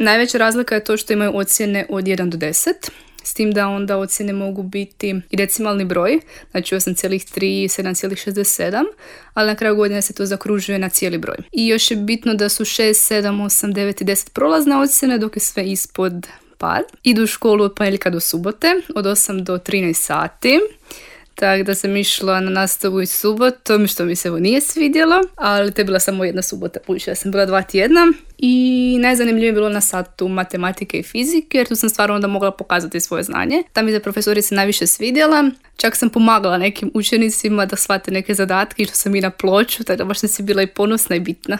Najveća razlika je to što imaju ocjene od 1 do 10. S tim da onda ocjene mogu biti i decimalni broj, znači 8,3 i 7,67, ali na kraju godine se to zakružuje na cijeli broj. I još je bitno da su 6, 7, 8, 9 i 10 prolazne ocjene, dok je sve ispod pad. Idu u školu od ponedjeljka do subote, od 8 do 13 sati. Tako da sam išla na nastavu i subotom, što mi se ovo nije svidjelo, ali to je bila samo jedna subota, budući da sam bila 2 tjedna. I najzanimljivije je bilo na satu matematike i fizike, jer tu sam stvarno onda mogla pokazati svoje znanje. Ta mi je profesorica najviše svidjela, čak sam pomagala nekim učenicima da shvate neke zadatke, što sam i na ploču, tako da baš sam si bila i ponosna i bitna.